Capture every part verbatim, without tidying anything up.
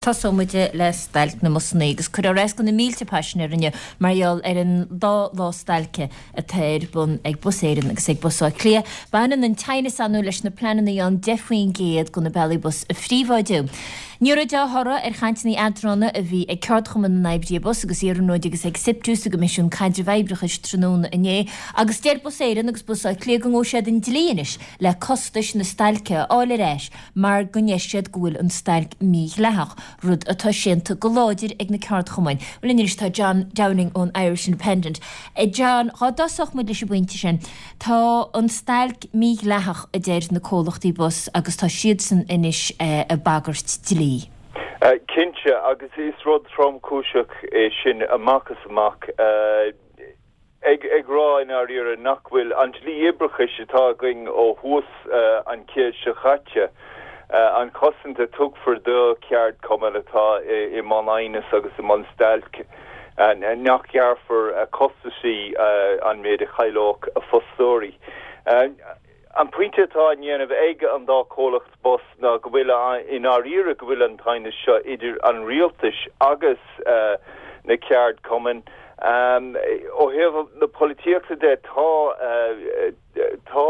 Tosóidh muid le stailc na mbusanna agus cuireadh ar ais go na mílte paisinéir inniu mar gheall ar an dá lá stailce atá ar bun ag Bus Éireann agus ag Bus Átha Cliath. Baineann an t-aighneas ann leis na pleananna an deich faoin gcéad de na bealaí bus a phríobháidiú. Ní raibh dea-thoradh ar chainteanna eadrána a bhí ag Ceardchumann na nOibrithe Bus agus Iarnróid agus ag SIPTU sa gCoimisiún Caidrimh Oibreachais tráthnóna inné agus deir Bus Éireann agus Bus Átha Cliath go ngabhfaidh siad an dlí anois le costais na stailce a fháil ar ais mar go ndeir siad go bhfuil an stailc mídhleathach, rud atá séanta go láidir ag na ceardchumainn. Well anois tá John Downing ón Irish Independent. Eh, John, dá dtosódh muid leis an bpointe sin, tá an stailc mídhleathach a deir na comhlachtaí bus agus tá siadsan anois eh, ag bagairt dlí. Uh, cinnte agus is rud tromchúiseach é sin amach is amach uh, ag ag rá in áirithe nach bhfuil an dlí oibreachais atá againn ó thús uh, an chéad seo caite uh, an chosaint a tugtar do cheardchumann atá i, i mbun aighneas agus i mbun stailc uh, nach ngearrfar uh, costaisí uh, an méid a chaillfeadh a fostóirí. Uh, an pointe atá á dhéanamh ag an dá chomhlacht bus ná go bhfuil in áirithe go bhfuil an t-aighneas seo idir an rialtas agus uh, na ceardchumainn. Um, ó thaobh na polaitíochta de tá uh, tá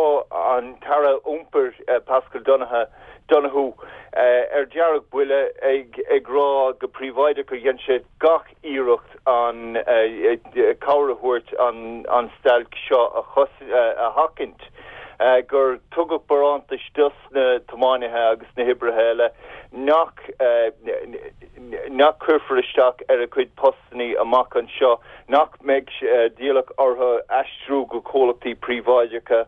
an tAire Iompair uh, Paschal Donohoe Donohoe uh, ar deargbhuile ag ag rá go príobháideach gur dhein sé gach iarracht an uh, cabhair a thabhairt an an stailc seo a chos uh, a sheachaint. Uh, gur tugadh barántais dos na tiománaithe agus na hoibrithe eile nach uh, nach cuirfear isteach ar a gcuid postanna amach anseo nach mbeidh uh, d'iallach orthu aistriú go comhlachtaí príobháideacha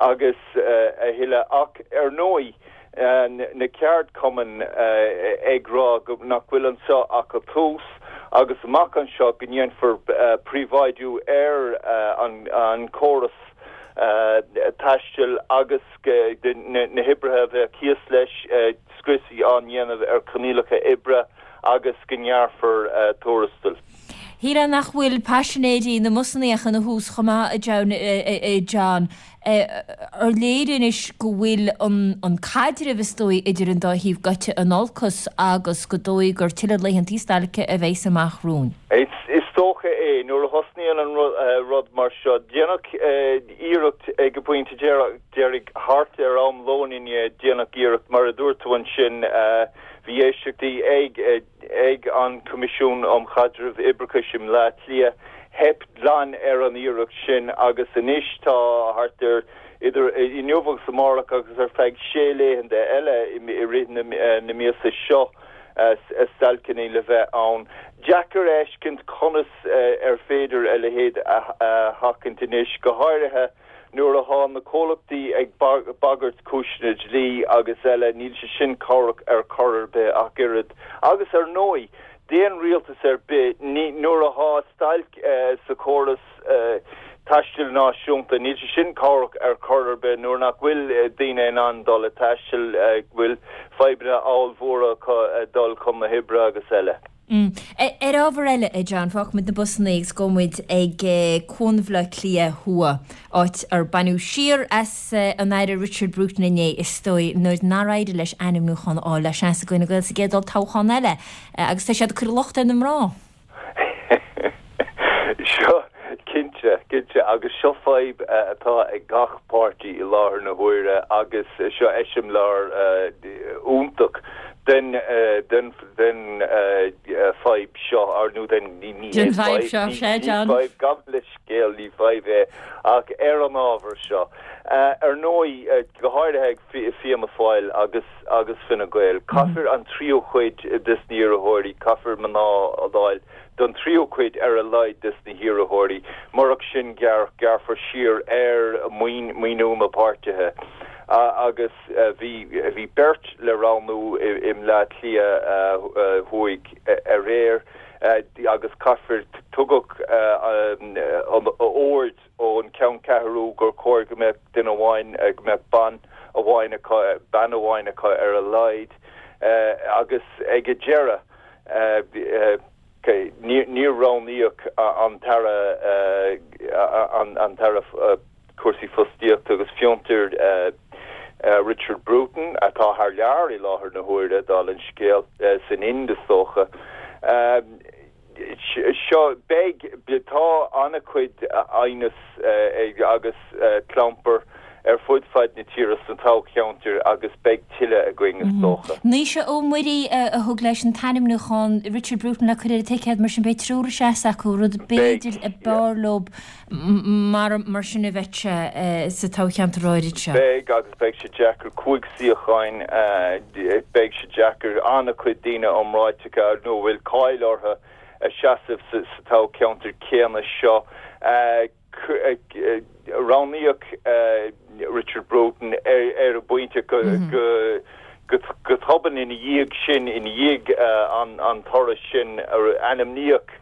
agus uh, a thuilleadh ach ar ndóigh uh, na ceardchumainn uh, ag rá go nach bhfuil anseo ach an tús agus amach anseo go ndéanfar uh, príobháidiú ar uh, an, an córas uh, taistil agus na, na hoibrithe bheith thíos leis uh, scriosadh á dhéanamh ar choinníollacha oibre agus go ngearrfar uh, tuarastail. Shílfeá nach bhfuil paisinéirí na mbusanna ina thús chomh maith John, John ar léir anois go bhfuil an, an caidreamh is dóigh idir an dá thaobh gaite in olcas agus go dóigh gur tuilleadh laethanta stailce a bheas amach romhainn. Is, is dócha é nuair a thosnaíonn an rud, uh, rud mar seo déanadh uh, iarracht ag an bpointe deiridh thart ar am lóin inné déanadh iarracht mar a dúirt tú ansin uh, bhí éisteachtaí ag ag an Coimisiún um Chaidreamh Oibreachais i mBaile Átha Cliath theip glan ar an iarracht sin agus anois tá thart ar idir inniu agus amárach agus ar feadh sé laethanta eile i rith na, na míosa seo stailceanna le bheith ann. Deacair a fheiscint conas ar féidir a leithéid a sheachaint anois go háirithe nuair atá na comhlachtaí ag bagairt cúiseanna dlí agus eile níl sé sin cabhrach ar chor ar bith ach oiread. Agus ar ndóigh, d'aon rialtas ar bith nuair atá stailc uh, sa chóras uh, taistil náisiúnta níl sé sin cabhrach ar chor ar bith nuair nach bhfuil uh, daoine in ann dul ag taisteal uh, bhfuil fadhbanna ollmhóra uh, dul chun na hoibre agus eile. Mm. Ar ábhar eile a John fágfaimid na busanna agus gabhfaimid ag Cuan Bhaile Átha Cliath Thuaidh áit ar baineadh siar as an Aire Richard Bruton inné is dóigh nuair nár éirigh leis ainmniúchán a fháil le seans ag Fine Gael sa gcéad olltoghchán eile agus tá siad ag cur locht ar na mná. Seo cinnte cinnte agus seo fadhb atá ag gach páirtí i láthair na huaire agus seo eiseamláir iontach den den den fadhb seo ar nó den ní Den fadhb seo sé John. Gabh mo leithscéal ní fadhb é ach ar an ábhar seo. Ar ndóigh go háirithe ag Fianna Fáil agus agus Fine Gael. Caithfear an tríú cuid des na hiarrthóirí, caithfear mná a fháil don tríú cuid ar a laghad des na hiarrthóirí, murach sin gearr gearrfar siar ar maoiniú na bpáirtithe. Uh, agus uh, bhí bhí beirt le roghnú i mBaile Átha Cliath uh, thuaidh aréir agus caithfear tugadh an ord ón ceanncheathrú gur chóir go mbeadh duine amháin go mbeadh bean amháin bean amháin acu ar a laghad agus ag an deireadh níor roghnaíodh an tAire an tAire cúrsaí fostaíochta agus fiontar Richard Bruton atá thar lear i láthair na huaire dála an scéil san Ind is dócha. Seo beidh tá an-chuid aighneas agus clampar ar fud fad na tíre sna toghcheantair agus beidh tuilleadh againn is dócha. Naoise Ó Muirí a thug leis an t-ainmniúchán Richard Bruton le cur ar an ticéad mar sin beidh triúr ag seasamh acu rud b'fhéidir a b'fhearr leo mar mar sin a bheith sé sa toghcheantar áirid seo. Beidh agus beidh sé deacair cúig suíocháin beidh sé deacair an-chuid daoine iomráiteacha nó bhfuil cáil orthu a seasamh sa toghcheantar céanna seo. Roghnaíodh Richard Bruton ar an bpointe go go tobann ina dhiaidh sin ina dhiaidh an toradh sin ainmníodh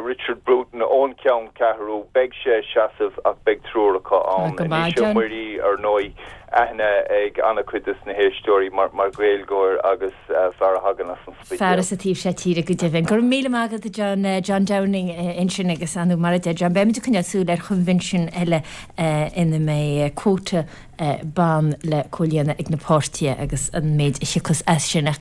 Richard Bruton ón gceanncheathrú beidh sé ag seasamh ach beidh triúr acu ann. Naoise Ó Muirí ar ndóigh aithne ag an-chuid des na héisteoirí mar mar Ghaeilgeoir agus fear a thagann as an Spidéal. Fear as an taobh seo tíre go deimhin. Go raibh míle maith agat John John Downing ansin agus anú mar a deir John beimid ag coinneáil súil ar choinbhinsiún eile ina mbeidh quota ban le comhlíonadh ag na páirtithe agus an méid a thiocfas as sin.